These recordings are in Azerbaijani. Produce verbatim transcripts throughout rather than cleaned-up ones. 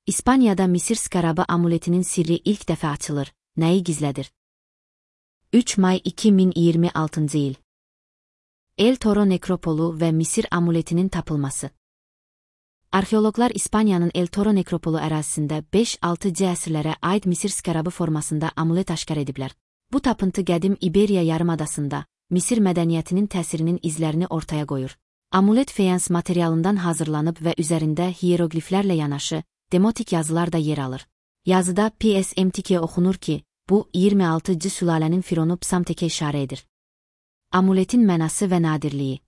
İspaniyada Misir skarabı amuletinin sirri ilk dəfə açılır. Nəyi gizlədir? üç may iki min iyirmi altıncı il. El Toro nekropolu və Misir amuletinin tapılması. Arxeologlar İspaniyanın El Toro nekropolu ərazisində beş altı C əsrlərə aid Misir skarabı formasında amulet aşkar ediblər. Bu tapıntı qədim İberiya yarımadasında Misir mədəniyyətinin təsirinin izlərini ortaya qoyur. Amulet feyans materialından hazırlanıb və üzərində hierogliflərlə yanaşı demotik yazılar da yer alır. Yazıda P S M T K oxunur ki, bu iyirmi altıncı sülalənin fironu Psamtekə işarə edir. Amuletin mənası və nadirliyi.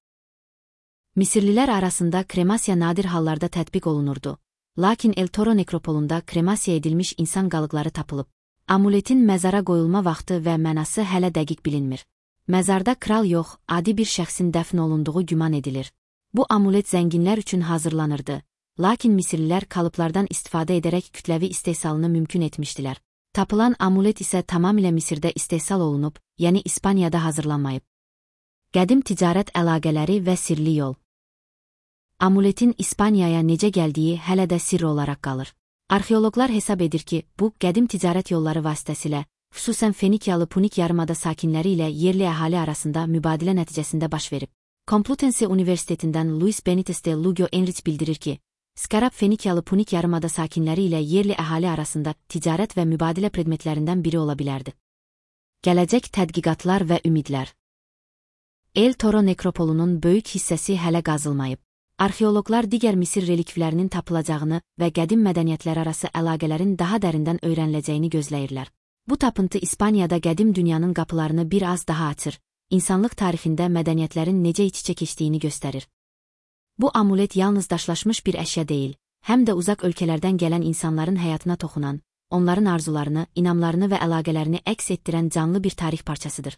Misirlilər arasında kremasiya nadir hallarda tətbiq olunurdu. Lakin El Toro nekropolunda kremasiya edilmiş insan qalıqları tapılıb. Amuletin məzara qoyulma vaxtı və mənası hələ dəqiq bilinmir. Məzarda kral yox, adi bir şəxsin dəfn olunduğu güman edilir. Bu amulet zənginlər üçün hazırlanırdı. Lakin Misirlilər kalıplardan istifadə edərək kütləvi istehsalını mümkün etmişdilər. Tapılan amulet isə tamamilə Misirdə istehsal olunub, yəni İspaniyada hazırlanmayıb. Qədim ticarət əlaqələri və sirli yol. Amuletin İspaniyaya necə gəldiyi hələ də sirr olaraq qalır. Arxeologlar hesab edir ki, bu qədim ticarət yolları vasitəsilə, xüsusən Fenikiyalı Punik yarımada sakinləri ilə yerli əhali arasında mübadilə nəticəsində baş verib. Complutense Universitetindən Luis Benitez de Lugo Enrich bildirir ki, skarab Fenikiyalı Punik yarımada sakinləri ilə yerli əhali arasında ticarət və mübadilə predmetlərindən biri ola bilərdi. Gələcək tədqiqatlar və ümidlər. El Toro nekropolunun böyük hissəsi hələ qazılmayıb. Arxeologlar digər Misir relikvlərinin tapılacağını və qədim mədəniyyətlər arası əlaqələrin daha dərindən öyrəniləcəyini gözləyirlər. Bu tapıntı İspaniyada qədim dünyanın qapılarını bir az daha açır, insanlıq tarixində mədəniyyətlərin necə iç-içə keçdiyini göstərir. Bu amulet yalnız daşlaşmış bir əşya deyil, həm də uzaq ölkələrdən gələn insanların həyatına toxunan, onların arzularını, inamlarını və əlaqələrini əks etdirən canlı bir tarix parçasıdır.